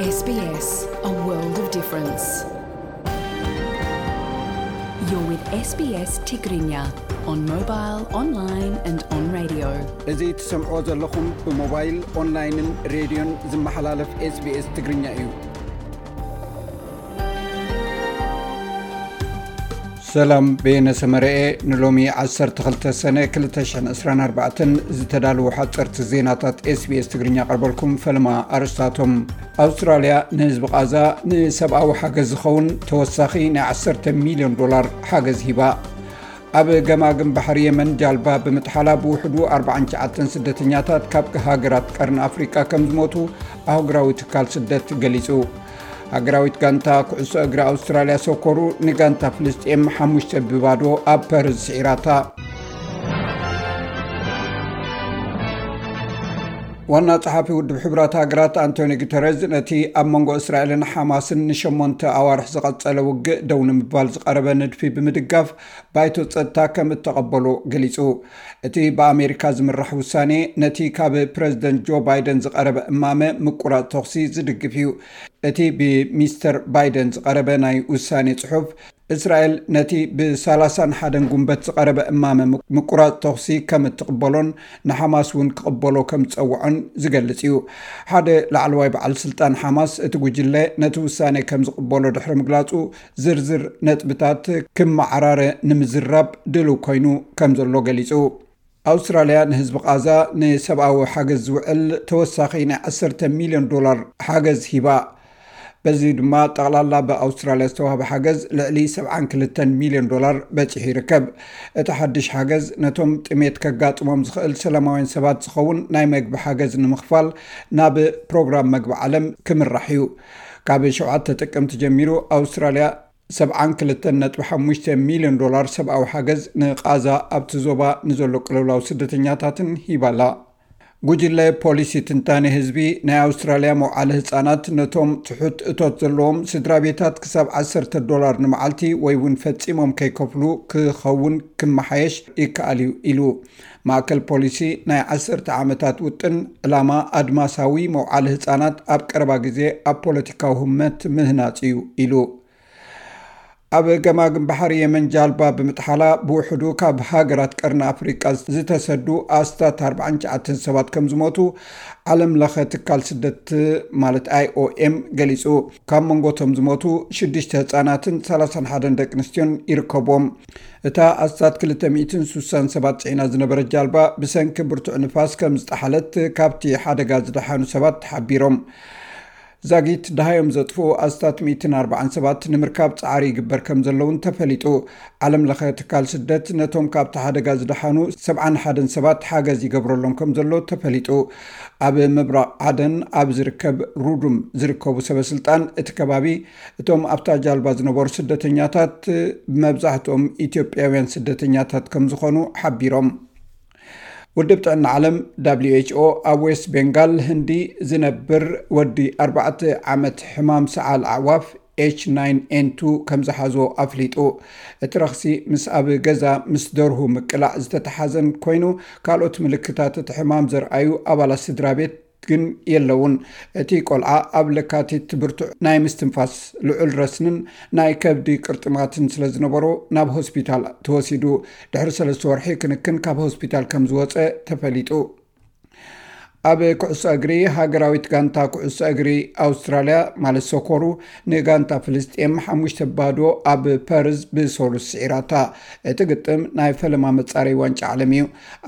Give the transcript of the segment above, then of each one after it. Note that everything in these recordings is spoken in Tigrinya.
S B S, a world of difference. You're with S B S Tigrinya on mobile, online and on radio. እዚ ትሰምዕዎ ዘለኹም ብሞባይል፣ ኦንላይንን ሬድዮን ዝመሓላለፍ SBS ትግርኛ እዩ። ሰላም፣ በየነ ሰመረኤ። ንሎሚ ዓሰርተ ክልተ ሰነ ክልተ ሽሕን ዕስራን ኣርባዕተን ዝተዳለዉ ሓፀርቲ ዜናታት SBS ትግርኛ ቀርበልኩም። ፈለማ ኣርእስታቶም። ኣውስትራልያ ንህዝቢ ቃዛ ንሰብኣዊ ሓገዝ ዝኸውን ተወሳኺ ናይ ዓሰርተ ሚልዮን ዶላር ሓገዝ ሂባ። ኣብ ገማግም ባሕሪ የመን ጃልባ ብምጥሓላ ብውሕዱ ኣርባዓን ትሽዓተን ስደተኛታት ካብ ሃገራት ቀርኒ ኣፍሪቃ ከም ዝሞቱ ኣህጉራዊ ትካል ስደት ገሊጹ። ሃገራዊት ጋንታ ኩዕሶ እግሪ ኣውስትራልያ ሶኮሩ ንጋንታ ፍልስጤም ሓሙሽተ ብባዶ ኣብ ፐርዝ ስዒራታ። ዋና ጸሓፊ ውድብ ሕቡራት ሃገራት ኣንቶኒ ጉተረዝ ነቲ ኣብ መንጎ እስራኤልን ሓማስን ንሸሞንተ ኣዋርሕ ዝቐጸለ ውግእ ደው ንምባል ዝቐረበ ንድፊ ብምድጋፍ ባይቶ ጸጥታ ከም እተቐበሎ ገሊጹ። እቲ ብኣሜሪካ ዝምራሕ ውሳኔ ነቲ ካብ ፕረዚደንት ጆ ባይደን ዝቐረበ እማመ ምቁራጽ ተኹሲ ዝድግፍ እዩ። እቲ ብሚስተር ባይደን ዝቐረበ ናይ ውሳኔ ጽሑፍ፣ እስራኤል ነቲ ብሰላሳን ሓደን ጉንበት ዝቐረበ እማመ ምቁራጽ ተኹሲ ከም እትቕበሎን ንሓማስ እውን ክቕበሎ ከም ዝጸውዖን ዝገልጽ እዩ። ሓደ ላዕለዋይ በዓል ስልጣን ሓማስ፣ እቲ ጉጅለ ነቲ ውሳኔ ከም ዝቕበሎ ድሕሪ ምግላጹ፣ ዝርዝር ነጥብታት ክመዓራረ ንምዝራብ ድሉው ኮይኑ ከም ዘሎ ገሊጹ። ኣውስትራልያ ንህዝቢ ቃዛ ንሰብኣዊ ሓገዝ ዝውዕል ተወሳኺ ናይ ዓሰርተ ሚልዮን ዶላር ሓገዝ ሂባ። በዚ ድማ ጠቕላላ ብኣውስትራልያ ዝተዋህበ ሓገዝ ልዕሊ ሰብዓን ክልተን ሚልዮን ዶላር በጺሑ ይርከብ። እቲ ሓድሽ ሓገዝ ነቶም ጥሜት ከጋጥሞም ዝኽእል ሰላማውያን ሰባት ዝኸውን ናይ መግቢ ሓገዝ ንምኽፋል ናብ ፕሮግራም መግቢ ዓለም ክምራሕ እዩ። ካብ ሸውዓተ ጥቅምቲ ጀሚሩ ኣውስትራልያ ሰብዓን ክልተን ነጥቢ ሓሙሽተ ሚልዮን ዶላር ሰብኣዊ ሓገዝ ንቃዛ ኣብቲ ዞባ ንዘሎ ቅልውላው ስደተኛታትን ሂባላ። ጉጅለ ፖሊሲ ትንታኔ ህዝቢ ናይ ኣውስትራልያ መውዓሊ ህጻናት ነቶም ትሑት እቶት ዘለዎም ስድራ ቤታት ክሳብ ዓሰርተ ዶላር ንመዓልቲ ወይ እውን ፈጺሞም ከይከፍሉ ክኸውን ክመሓየሽ ይከኣል እዩ ኢሉ። ማእከል ፖሊሲ ናይ ዓሰርተ ዓመታት ውጥን ዕላማ ኣድማሳዊ መውዓሊ ህጻናት ኣብ ቀረባ ግዜ ኣብ ፖለቲካዊ ህመት ምህናጽ እዩ ኢሉ። ኣብ ገማግም ባሕሪ የመን ጃልባ ብምጥሓላ ብውሕዱ ካብ ሃገራት ቀርኒ ኣፍሪቃ ዝተሰዱ ኣስታት ኣርባዓን ትሽዓተን ሰባት ከም ዝሞቱ ዓለም ለኸ ትካል ስደት ማለት ኣይ ኦ ኤም ገሊጹ። ካብ መንጎቶም ዝሞቱ ሽዱሽተ ህጻናትን ሰላሳን ሓደን ደቂ ኣንስትዮን ይርከብዎም። እታ ኣስታት ክልተ ሚእትን ስሳን ሰባት ጽዒና ዝነበረት ጃልባ ብሰንኪ ብርቱዕ ንፋስ ከም ዝጠሓለት ካብቲ ሓደጋ ዝደሓኑ ሰባት ሓቢሮም። ዛጊት ደሃዮም ዘጥፍኡ ኣስታት ሚእትን ኣርባዓን ሰባት ንምርካብ ጻዕሪ ይግበር ከም ዘለውን ተፈሊጡ። ዓለም ለኸ ትካል ስደት ነቶም ካብቲ ሓደጋ ዝደሓኑ ሰብዓን ሓደን ሰባት ሓገዝ ይገብረሎም ከም ዘሎ ተፈሊጡ። ኣብ ምብራቕ ዓደን ኣብ ዝርከብ ሩዱም ዝርከቡ ሰበስልጣን እቲ ከባቢ፣ እቶም ኣብታ ጃልባ ዝነበሩ ስደተኛታት መብዛሕትኦም ኢትዮጵያውያን ስደተኛታት ከም ዝኾኑ ሓቢሮም። ውድብ ጥዕና ዓለም፣ ደብሊው ኤች ኦ፣ ኣብ ዌስት ቤንጋል ህንዲ ዝነብር ወዲ ኣርባዕተ ዓመት ሕማም ሰዓል ኣዕዋፍ ኤች ናይን ኤን ቱ ከም ዝሓዞ ኣፍሊጡ። እቲ ረኽሲ ምስ ኣብ ገዛ ምስ ደርሁ ምቅላዕ ዝተተሓዘን ኮይኑ፣ ካልኦት ምልክታት እቲ ሕማም ዘርኣዩ ኣባላት ስድራ ቤት ግን የለውን። እቲ ቆልዓ ኣብ ለካቲት ብርቱዕ ናይ ምስትንፋስ፣ ልዑል ረስንን ናይ ከብዲ ቅርጥማትን ስለ ዝነበሮ ናብ ሆስፒታል ተወሲዱ። ድሕሪ ሰለስተ ወርሒ ክንክን ካብ ሆስፒታል ከም ዝወጸ ተፈሊጡ። ኣብ ኩዕሶ እግሪ፣ ሃገራዊት ጋንታ ኩዕሶ እግሪ ኣውስትራልያ ማለት ሶኮሩ ንጋንታ ፍልስጤም ሓሙሽተ ባዶ ኣብ ፐርዝ ብሶሉስ ስዒራታ። እቲ ግጥም ናይ ፈለማ መጻረይ ዋንጫ ዓለም እዩ።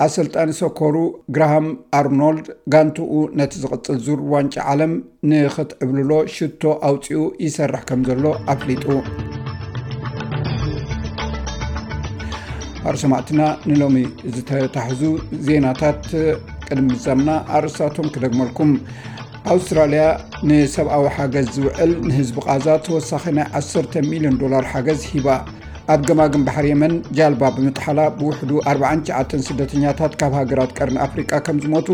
ኣሰልጣኒ ሶኮሩ ግራሃም ኣርኖልድ ጋንትኡ ነቲ ዝቕጽል ዙር ዋንጫ ዓለም ንኽትዕብልሎ ሽቶ ኣውጺኡ ይሰርሕ ከም ዘሎ ኣፍሊጡ። ኣርሰማዕትና ንሎሚ ዝተታሕዙ ዜናታት ቅድሚ ምዛምና ኣርእስታቶም ክደግመልኩም። ኣውስትራልያ ንሰብኣዊ ሓገዝ ዝውዕል ንህዝቢ ቃዛ ተወሳኺ ናይ ዓሰርተ ሚልዮን ዶላር ሓገዝ ሂባ። ኣብ ገማግም ባሕሪ የመን ጃልባ ብምጥሓላ ብውሕዱ ኣርባዓን ትሽዓተን ስደተኛታት ካብ ሃገራት ቀርኒ ኣፍሪቃ ከም ዝሞቱ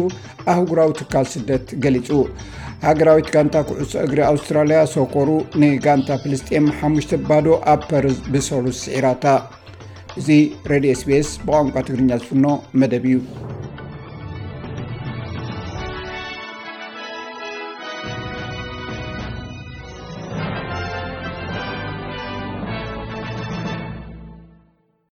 ኣህጉራዊ ትካል ስደት ገሊጹ። ሃገራዊት ጋንታ ኩዕሶ እግሪ ኣውስትራልያ ሶኮሩ ንጋንታ ፍልስጤም ሓሙሽተ ባዶ ኣብ ፐርዝ ብሰሉስ ስዒራታ። እዚ ሬድዮ ኤስ ቢ ኤስ ብቋንቋ ትግርኛ ዝፍኖ መደብ እዩ።